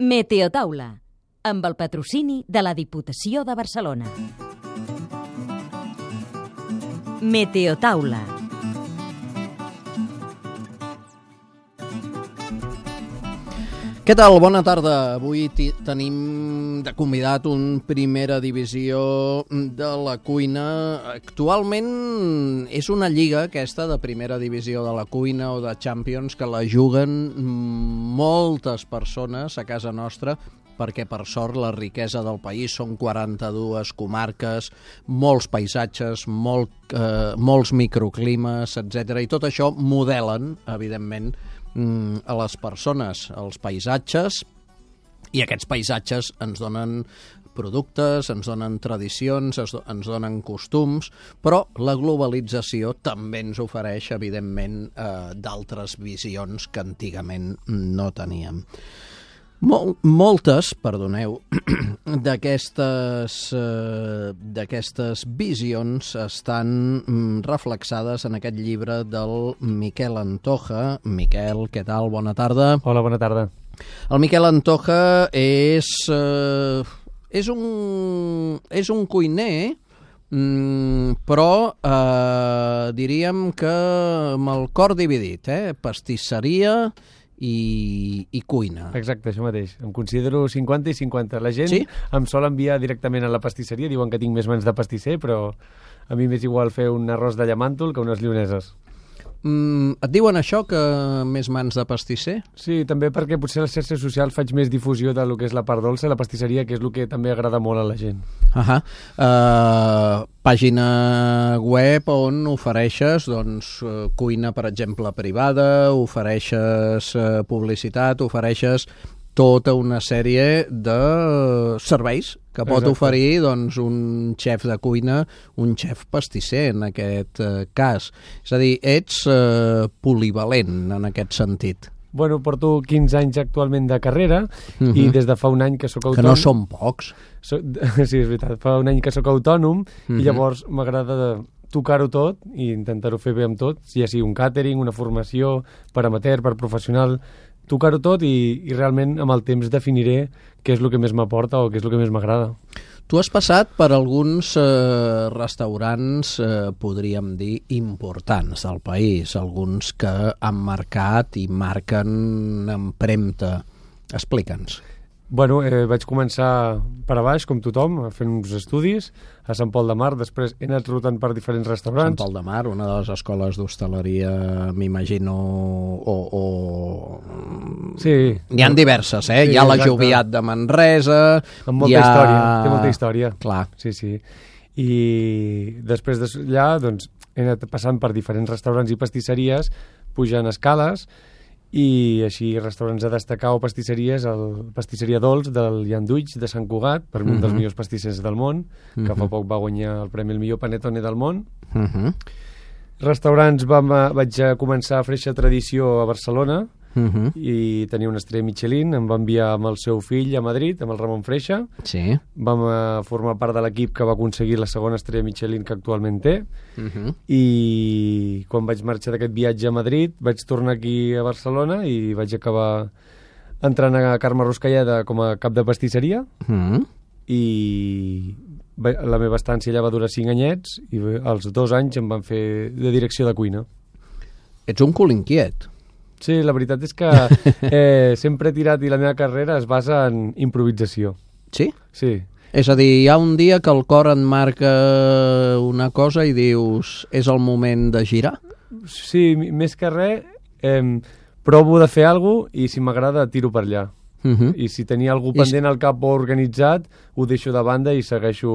Meteotaula, amb el patrocini de la Diputació de Barcelona. Meteotaula. Què tal? Bona tarda. Avui tenim de convidat un primera divisió de la cuina. Actualment és una lliga aquesta de primera divisió de la cuina o de Champions que la juguen moltes persones a casa nostra, perquè per sort la riquesa del país són 42 comarques, molts paisatges, molts microclimes, etc. I tot això modelen, evidentment, a les persones, als paisatges, i aquests paisatges ens donen productes, ens donen tradicions, ens donen costums, però la globalització també ens ofereix, evidentment, d'altres visions que antigament no teníem. Moltes, perdoneu, d'aquestes visions estan reflexades en aquest llibre del Miquel Antoja. Miquel, què tal? Bona tarda. Hola, bona tarda. El Miquel Antoja és un cuiner, però diríem que amb el cor dividit, pastisseria i cuina. Exacte, això mateix. Em considero 50 i 50. La gent sí? Em sol enviar directament a la pastisseria, diuen que tinc més mans de pastisser, però a mi m'és igual fer un arròs de llamàntol que unes lloneses. Et diuen això, que més mans de pastisser? Sí, també perquè potser a les xarxes socials faig més difusió del que és la part dolça, la pastisseria, que és el que també agrada molt a la gent. Pàgina web on ofereixes cuina, per exemple, privada, ofereixes publicitat, ofereixes tota una sèrie de serveis que pot oferir un xef de cuina, un xef pastisser en aquest cas. És a dir, ets polivalent en aquest sentit. Bueno, porto 15 anys actualment de carrera i des de fa un any que sóc autònom. Que no són pocs. Sí, és veritat. Fa un any que sóc autònom i llavors m'agrada tocar-ho tot i intentar-ho fer bé amb tot, ja sigui un càtering, una formació per amateur, per professional, tocar-ho tot i realment amb el temps definiré què és el que més m'aporta o què és el que més m'agrada. Tu has passat per alguns restaurants, podríem dir, importants del país, alguns que han marcat i marquen empremta. Explica'ns. Bueno, vaig començar per a baix, com tothom, fent uns estudis a Sant Pol de Mar, després he anat rotant per diferents restaurants. Sant Pol de Mar, una de les escoles d'hostaleria, m'imagino, Sí. N'hi ha diverses, Sí, hi ha la exacte. Joviat de Manresa... Amb molta història, té molta història. Clar. Sí. I després d'allà, he anat passant per diferents restaurants i pastisseries, pujant escales, i així restaurants a destacar o pastisseries, el Pastisseria Dolç del Llanduig de Sant Cugat, per mi un dels millors pastissers del món, que fa poc va guanyar el premi el millor panetone del món. Restaurants, vaig començar a Freixa Tradició a Barcelona i tenia una estrella Michelin, em va enviar amb el seu fill a Madrid, amb el Ramon Freixa. Sí. Vam formar part de l'equip que va aconseguir la segona estrella Michelin que actualment té. I quan vaig marxar d'aquest viatge a Madrid vaig tornar aquí a Barcelona i vaig acabar entrant a Carme Ruscalleda com a cap de pastisseria i la meva estància allà va durar 5 anyets i als 2 anys em van fer de direcció de cuina. Ets un cul inquiet. Sí, la veritat és que sempre he tirat i la meva carrera es basa en improvisació. Sí? Sí. És a dir, hi ha un dia que el cor et marca una cosa i dius, és el moment de girar? Sí, més que res, provo de fer alguna cosa i si m'agrada tiro per allà. I si tenia algú pendent al cap o organitzat, ho deixo de banda i segueixo...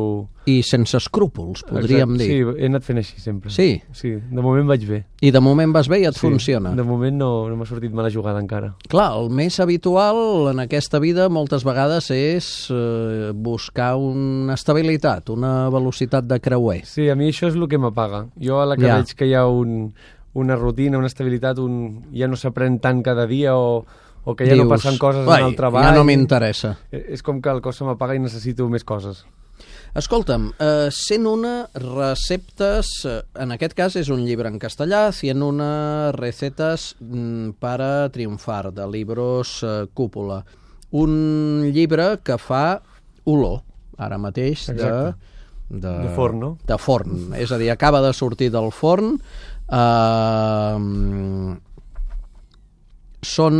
I sense escrúpols, podríem dir. Sí, he anat fent així sempre. Sí? Sí, de moment vaig bé. I de moment vas bé i et funciona? De moment no m'ha sortit mala jugada encara. Clar, el més habitual en aquesta vida moltes vegades és buscar una estabilitat, una velocitat de creuer. Sí, a mi això és el que m'apaga. Jo a la que veig que hi ha una rutina, una estabilitat, ja no s'aprèn tant cada dia o que ja no passen coses en el treball. Ja no m'interessa. És com que el cos se m'apaga i necessito més coses. Escolta'm, 101 receptes, en aquest cas és un llibre en castellà, 101 recetes para triunfar, de Libros Cúpula. un llibre que fa olor, ara mateix, de forn, no? De forn, és a dir, acaba de sortir del forn. Són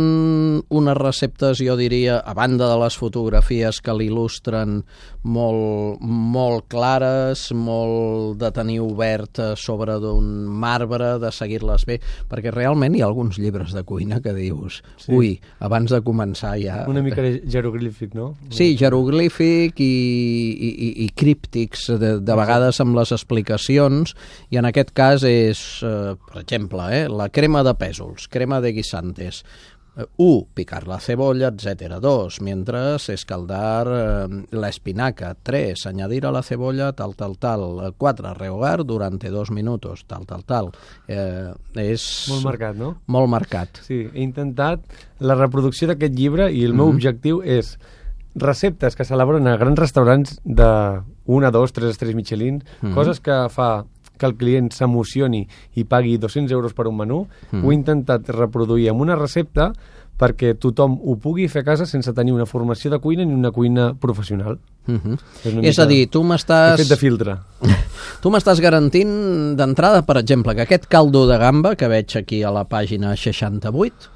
unes receptes, jo diria, a banda de les fotografies que l'il·lustren molt clares, molt de tenir obert sobre d'un marbre, de seguir-les bé, perquè realment hi ha alguns llibres de cuina que dius, ui, abans de començar ja... Una mica jeroglífic, no? Sí, jeroglífic i críptics, de vegades amb les explicacions, i en aquest cas és, per exemple, la crema de pèsols, crema de guisantes. 1. Picar la cebolla, etc. 2. Mientras escaldar la espinaca. 3. Añadir a la cebolla tal. 4. Rehogar durante 2 minutos, tal. És... Molt marcat, no? Molt marcat. Sí, he intentat la reproducció d'aquest llibre i el meu objectiu és receptes que s'elaboren a grans restaurants de 1, 2, 3 estrelles Michelin, coses que fa que el client s'emocioni i pagui 200 euros per un menú, ho he intentat reproduir amb una recepta perquè tothom ho pugui fer a casa sense tenir una formació de cuina ni una cuina professional. És a dir, tu m'estàs... He fet de filtre. Tu m'estàs garantint d'entrada, per exemple, que aquest caldo de gamba que veig aquí a la pàgina 68,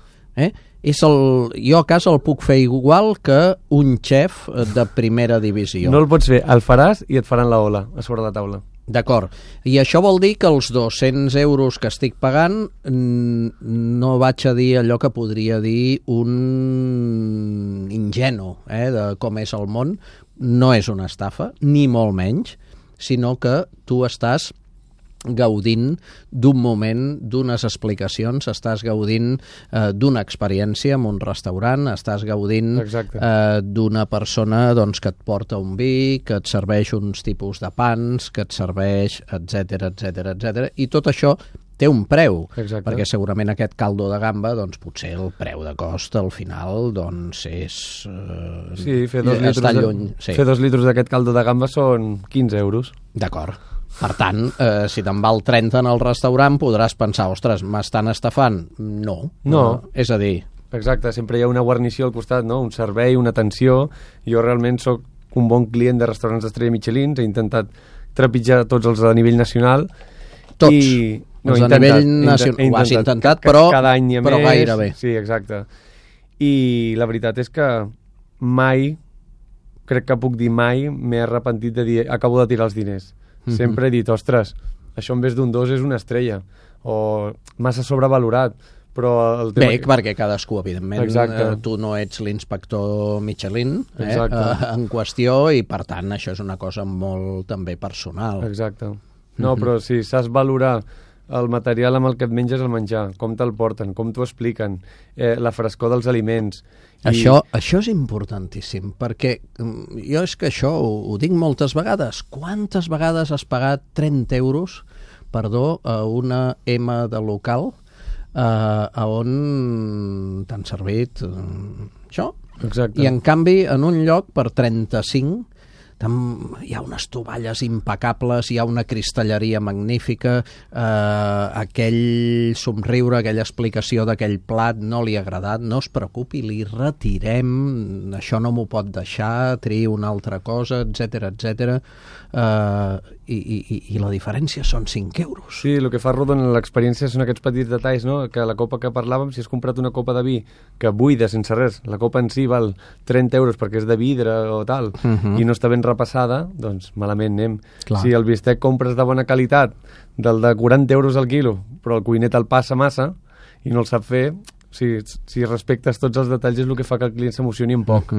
jo a casa el puc fer igual que un xef de primera divisió. No el pots fer, el faràs i et faran la ola a sobre la taula. D'acord. I això vol dir que els 200 euros que estic pagant no vaig a dir allò que podria dir un ingenu de com és el món. No és una estafa, ni molt menys, sinó que tu estàs gaudint d'un moment, d'unes explicacions, estàs gaudint d'una experiència en un restaurant, estàs gaudint d'una persona que et porta un vi, que et serveix uns tipus de pans, que et serveix, etc. I tot això té un preu, perquè segurament aquest caldo de gamba, potser el preu de cost al final és... Sí, fer 2 litres d'aquest caldo de gamba són 15 euros. D'acord. Per tant, si te'n val 30 en el restaurant, podràs pensar, ostres, m'estan estafant? No. És a dir... Exacte, sempre hi ha una guarnició al costat, no? Un servei, una atenció. Jo realment sóc un bon client de restaurants d'estrella Michelin, he intentat trepitjar tots els a nivell nacional. Tots? Els a nivell nacional. Ho has intentat, però gairebé. Sí, exacte. I la veritat és que mai, crec que puc dir mai, m'he arrepentit de dir, acabo de tirar els diners. Sempre he dit, ostres, això en vez d'un 2 és una estrella, o massa sobrevalorat, però el tema... Bé, perquè cadascú, evidentment, tu no ets l'inspector Michelin en qüestió, i per tant això és una cosa molt també personal. Exacte. No, però si saps valorar el material amb el que et menges el menjar, com te'l porten, com t'ho expliquen, la frescor dels aliments... Això és importantíssim, perquè jo és que això ho dic moltes vegades. Quantes vegades has pagat 30 euros, a una M de local on t'han servit això? Exacte. I en canvi, en un lloc per 35 hi ha unes tovalles impecables, hi ha una cristalleria magnífica, aquell somriure, aquella explicació d'aquell plat no li ha agradat, no es preocupi, li retirem, això no m'ho pot deixar, triï una altra cosa, etc. I la diferència són 5 euros. Sí, el que fa rodon en l'experiència són aquests petits detalls, no? Que la copa que parlàvem, si has comprat una copa de vi que buida sense res, la copa en si val 30 euros perquè és de vidre o tal, i no està ben repassada, doncs malament anem. Clar. Si el bistec compres de bona qualitat, del de 40 euros al quilo, però el cuiner te'l passa massa i no el sap fer, si respectes tots els detalls és el que fa que el client s'emocioni un poc.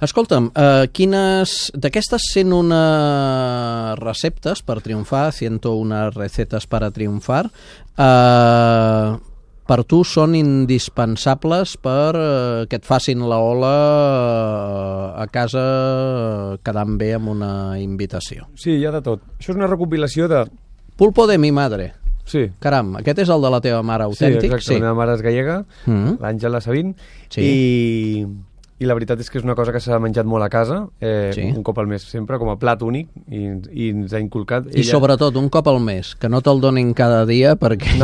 Escolta'm, d'aquestes 101 receptes per triomfar, 101 recetes per a triomfar, per tu són indispensables per que et facin la ola a casa quedant bé amb una invitació. Sí, hi ha de tot. Això és una recopilació de... Pulpo de mi madre. Sí. Caram, aquest és el de la teva mare autèntic? Sí, exacte. La meva mare és gallega, l'Àngela Sabín, i la veritat és que és una cosa que s'ha menjat molt a casa, un cop al mes sempre, com a plat únic, i ens ha inculcat... I sobretot un cop al mes, que no te'l donin cada dia, perquè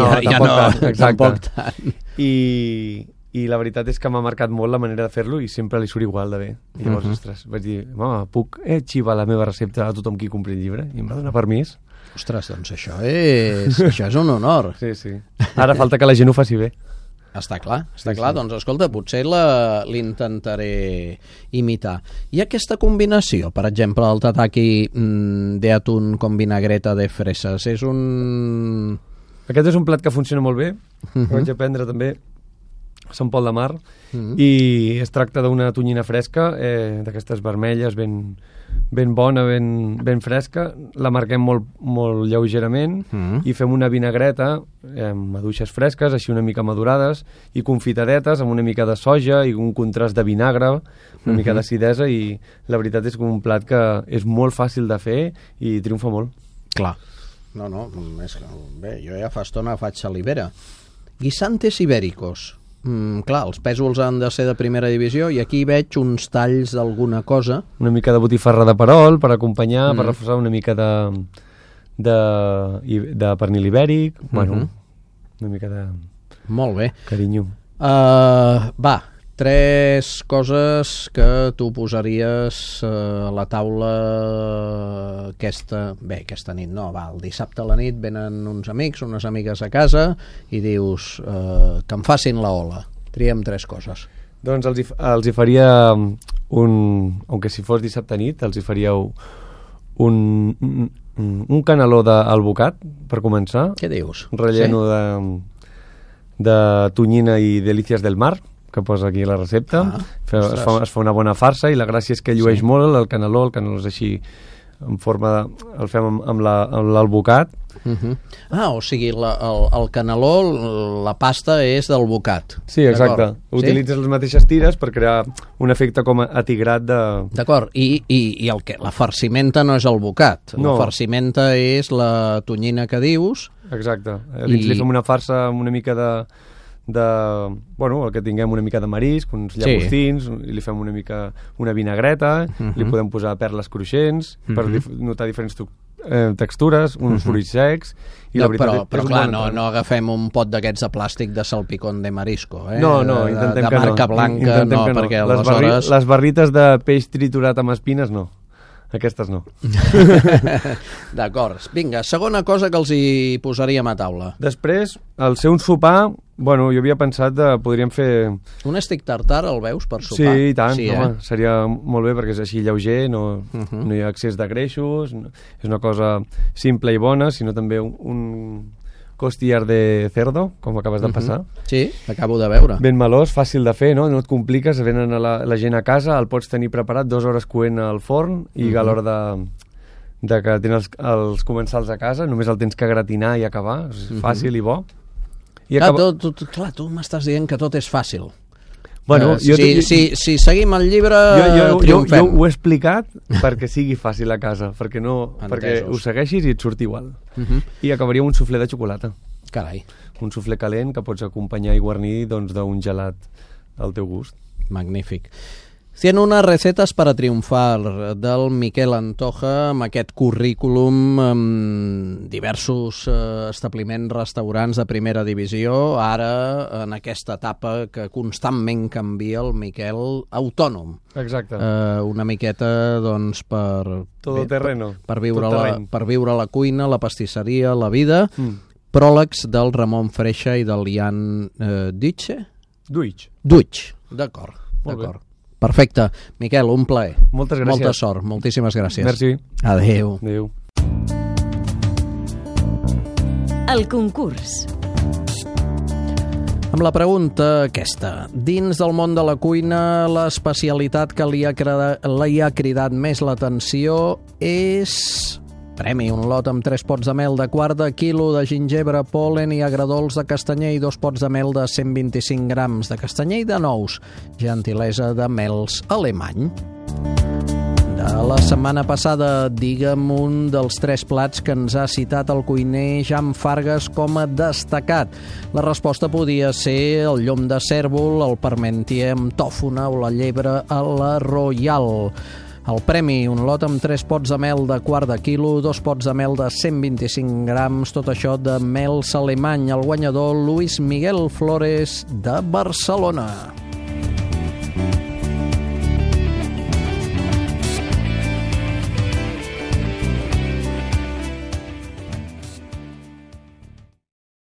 tampoc tant. I i la veritat és que m'ha marcat molt la manera de fer-lo i sempre li surt igual de bé. I llavors, ostres, vaig dir, mama, puc xivar la meva recepta a tothom qui compri el llibre? I em va donar permís. Ostres, doncs això és un honor. Sí, sí. Ara falta que la gent ho faci bé. Està clar. Doncs escolta, potser l'intentaré imitar. I aquesta combinació, per exemple, el tataki de atún con vinagreta de freses, és un... Aquest és un plat que funciona molt bé, que vaig aprendre també a Sant Pol de Mar, i es tracta d'una tonyina fresca, d'aquestes vermelles, ben bona, ben fresca, la marquem molt lleugerament i fem una vinagreta amb maduixes fresques, així una mica madurades, i confitadetes amb una mica de soja i un contrast de vinagre, una mica d'acidesa, i la veritat és que un plat que és molt fàcil de fer i triomfa molt. Clar. No, és que, bé, jo ja fa estona faig salivera. Guisantes ibéricos. Clar, els pèsols han de ser de primera divisió i aquí veig uns talls d'alguna cosa. Una mica de botifarra de perol per acompanyar, per reforçar una mica de pernil ibèric, bueno, una mica de... Molt bé. Carinyo. Va, 3 coses que tu posaries a la taula aquesta nit, no, va, el dissabte a la nit venen uns amics, unes amigues a casa i dius que em facin la ola. Triem 3 coses. Doncs els hi faria aunque si fos dissabte nit, els hi faria un caneló d'alvocat, per començar. Què dius? Relleno de tonyina i delícies del mar, que posa aquí la recepta. Es fa una bona farsa i la gràcia és que llueix molt el caneló és així en forma de... el fem amb l'alvocat. O sigui, el caneló, la pasta és d'alvocat. Sí, exacte. Utilitzes les mateixes tires per crear un efecte com a atigrat de... D'acord, i la farcimenta no és alvocat. La farcimenta és la tonyina que dius. Exacte. Dins li fem una farsa amb una mica el que tinguem una mica de marisc, uns llagostins, i li fem una vinagreta, li podem posar perles cruixents per notar diferents textures, uns fruits secs, i la veritat però clar, no agafem un pot d'aquests de plàstic de salpicón de marisco, no, intentem de marca blanca, no, perquè aleshores... Les barrites de peix triturat amb espines, no. Aquestes no. D'acord. Vinga, segona cosa que els hi posaríem a taula. Després, al ser un sopar, jo havia pensat podríem fer... Un stick tartar el veus per sopar? Sí, i tant, home, seria molt bé perquè és així lleuger, no hi ha excés de greixos, és una cosa simple i bona, sinó també un costillar de cerdo, com acabes de passar. Sí, l'acabo de veure. Ben melós, fàcil de fer, no et compliques, venen la gent a casa, el pots tenir preparat 2 hores coent al forn i a l'hora de que tens els comensals a casa, només el tens que gratinar i acabar, és fàcil i bo. Clar, tu m'estàs dient que tot és fàcil. Bueno, si seguim el llibre, triomfem. Jo ho he explicat perquè sigui fàcil a casa, perquè ho segueixis i et surti igual. I acabaria un suflé de xocolata. Carai. Un suflé calent que pots acompanyar i guarnir d'un gelat al teu gust. Magnífic. 101 recetes para triomfar del Miquel Antoja, amb aquest currículum amb diversos establiments, restaurants de primera divisió, ara en aquesta etapa que constantment canvia el Miquel autònom. Exacte. Una miqueta, doncs, per viure la cuina, la pastisseria, la vida. Pròlegs del Ramon Freixa i del Ian Duig, d'acord. Perfecte. Miquel, un plaer. Moltes gràcies. Molta sort. Moltíssimes gràcies. Merci. Adéu. Adéu. El concurs. Amb la pregunta aquesta. Dins del món de la cuina, l'especialitat que li ha cridat més l'atenció és... Premi, un lot amb 3 pots de mel de quart de quilo de gingebre, pol·len i agradols de castanyer i 2 pots de mel de 125 grams de castanyer i de nous. Gentilesa de Mels Alemany. De la setmana passada, digue'm un dels 3 plats que ens ha citat el cuiner Jan Fargas com a destacat. La resposta podia ser el llom de cèrvol, el parmentier amb tòfona o la llebre a la Royal. El premi, un lot amb 3 pots de mel de quart de quilo, 2 pots de mel de 125 grams, tot això de mel Salemany, el guanyador Luis Miguel Flores de Barcelona.